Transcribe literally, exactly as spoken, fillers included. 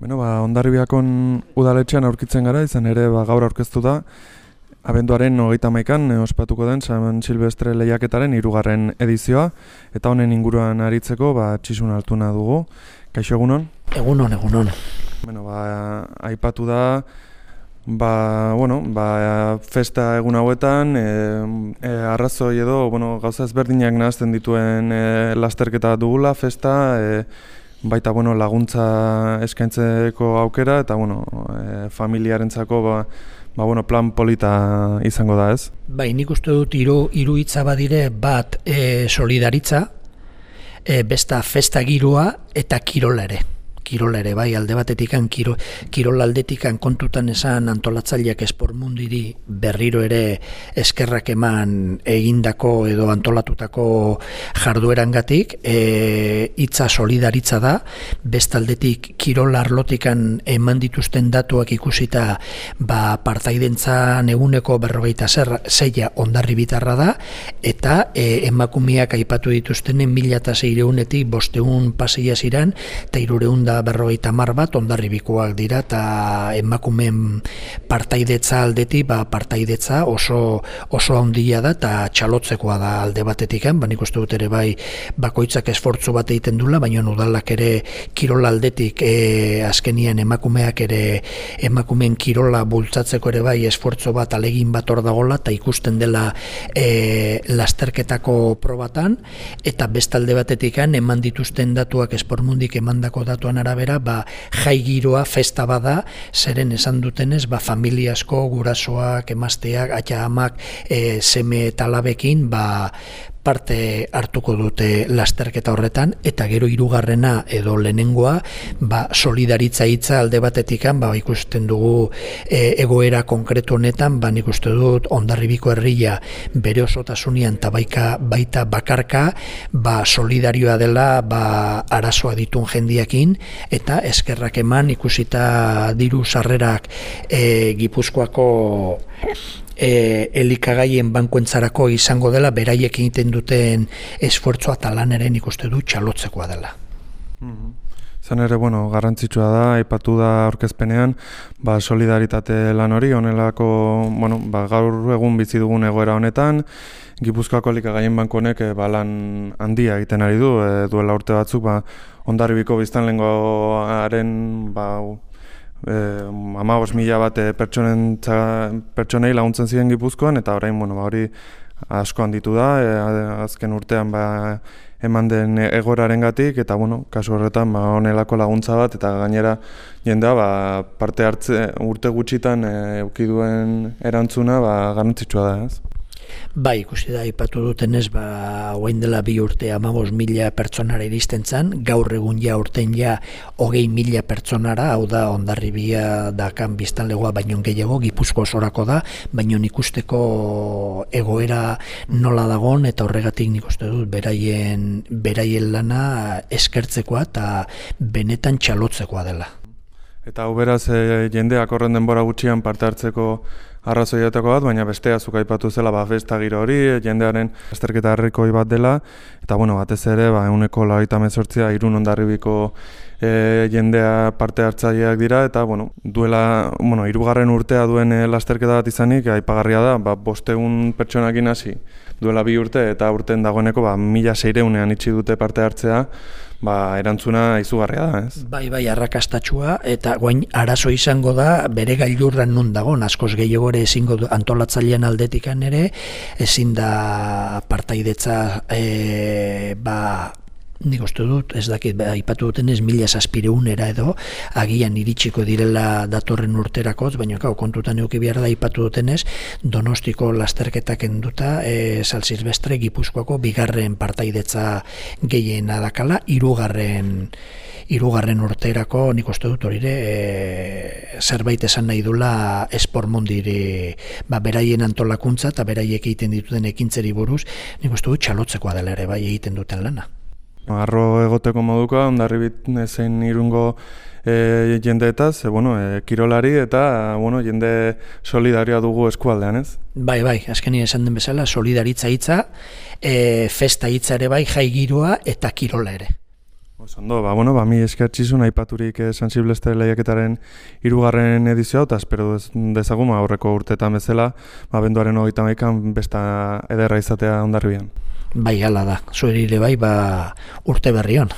Bueno, ba, Hondarribiakon udaletxean aurkitzen gara, izan ere ba, gaur aurkeztu da, abenduaren hogeita hamaikan e, ospatuko den San Silvestre lehiaketaren hirugarren edizioa, eta honen inguruan aritzeko ba, Txisun Altuna dugu. Kaixo, egunon? Egunon, egunon. Bueno, ba, aipatu da, ba, bueno, ba, festa egun hauetan, e, e, arrazoi edo, bueno, gauza ezberdinak nahazten dituen e, lasterketa dugula, festa, e, baita bueno, laguntza eskaintzeko aukera eta bueno, e, familiarentzako ba, ba, bueno, plan polita izango da, ez? Bai, nik uste dut hiru hiru hitza badire, bat e, solidaritza, e, besta festa giroa eta kirola ere. Kirola ere, bai, alde batetikan, kiro, kirol aldetikan kontutan esan antolatzaileak espormundiri berriro ere eskerrak eman egindako edo antolatutako jarduerangatik, e, hitza solidaritza da, bestaldetik kirol arlotikan eman dituzten datuak ikusita, ba, partaidentzan eguneko berrogeita zeia Hondarribitarra da, eta e, emakumeak aipatu dituztenen mila eta seirehunetik bosteun paseia ziran, eta hirureun da berrogeita hamar bat Hondarribikoak dira, eta emakumeen partaidetza aldetik, ba, partaidetza oso oso handia da eta txalotzekoa da alde batetikan, ba, nik uste dut ere bai bakoitzak esfortzu bat egiten dula, baina udalak ere kirola aldetik e, azkenian emakumeak ere emakumeen kirola bultzatzeko ere bai esfortzu bat alegin bat hor dagola, eta ikusten dela e, lasterketako probatan, eta bestalde batetikan eman dituzten datuak espormundik emandako datuan arabera, ba, jai giroa festa bada, zeren esan dutenez, ba, familia asko, gurasoak, emazteak, aita amak, e, seme eta alabekin, ba, parte hartuko dute lasterketa horretan, eta gero hirugarrena edo lehenengoa, ba, solidaritza hitza alde batetikan, ba, ikusten dugu e, egoera konkretu honetan, ba, nik uste dut Hondarribiko herria bere osotasunean eta baika, baita bakarka, ba, solidarioa dela, ba, arazoa ditun jendiakin, eta eskerrak eman ikusita diru sarrerak e, Gipuzkoako E, elikagaien bankuentzarako izango dela, beraiek egiten duten esfortzua eta lanaren ikuste du txalotzekoa dela. Mm-hmm. Zan ere, bueno, garrantzitsua da, aipatu da aurkezpenean, ba, solidaritate lan hori, honelako, bueno, ba, gaur egun bizi dugun egoera honetan, Gipuzkoako elikagaien banku honek e, ba, lan handia egiten ari du, e, duela urte batzuk, ba, Hondarribiko biztanlegoaren, ba, Eh, hamabost mila bat eh, pertsonei laguntzen ziren Gipuzkoan, eta orain bueno, ba, hori asko handitu da, eh, azken urtean ba, eman den egoerarengatik, eta bueno, kasu horretan ba, honelako laguntza bat, eta gainera jendea ba, parte hartze urte gutxitan eh, eduki duen erantzuna ba, garrantzitsua da, ez? Bai, ikusi da, ipatu dutenez, ba, orain dela bi urte hamabost mila pertsonara iristen zen, gaur egun ja urten ja hogei mila pertsonara, hau da Hondarribia dakan biztanlegoa baino gehiago, Gipuzko osorako da, baino ikusteko egoera nola dagon, eta horregatik nik uste dut beraien, beraien lana eskertzekoa eta benetan txalotzekoa dela. Eta hau beraz, e, jendeak horren denbora gutxian parte hartzeko arrazoietako bat, baina bestea zuk aipatu zela ba, festa giro hori, jendearen lasterketa herrikoi bat dela, eta bueno, batez ere, ba, ehuneko laurogeita hemezortzia Irun Hondarribiko e, jendea parte hartzaileak dira, eta bueno, duela, bueno, hirugarren urtea duen e, lasterketa bat izanik, aipagarria da, ba, bosteun pertsonakin hasi duela bi urte, eta urten dagoeneko ba, mila seireunean itxi dute parte hartzea, ba, erantzuna izugarria da, ez? Bai, bai, arrakastatsua, eta guain arazo izango da, bere gailurran nun dagoen, askoz gehiago ere ezingo antolatzailean aldetikan ere, ezin da partaidetza, e, ba, nik uste dut, ez dakit, aipatu duten ez mila zazpireunera edo, agian iritsiko direla datorren urterakotz, baina kau, kontutan euki behar da aipatu dutenez, Donostiko lasterketak enduta, e, San Silvestre Gipuzkoako bigarren partaidetza gehien adakala, hirugarren hirugarren urterako, nik uste dut horire, e, zerbait esan nahi dula espormundiri, ba, beraien antolakuntza eta beraiek egiten dituten ekintzeri buruz, nik uste dut txalotzekoa dela ere, bai egiten duten lana. Arro egoteko moduka, Hondarribit zein Irungo e, jendeetaz, e, bueno, e, kirolari eta bueno, jende solidarioa dugu eskualdean, ez? Bai, bai, azkenean esan den bezala, solidaritza hitza, e, festa hitza ere bai, jai giroa eta kirola ere. Oso ba, bueno, ba, mi eskertxizun aipaturik eh, San Silvestre lehiaketaren hirugarren edizioa, eta espero dezagun aurreko urteetan bezala, ba, benduaren hogeita hamaikan besta ederra izatea Hondarribian. Bai, hala da, zuerire bai, ba, urte berri on.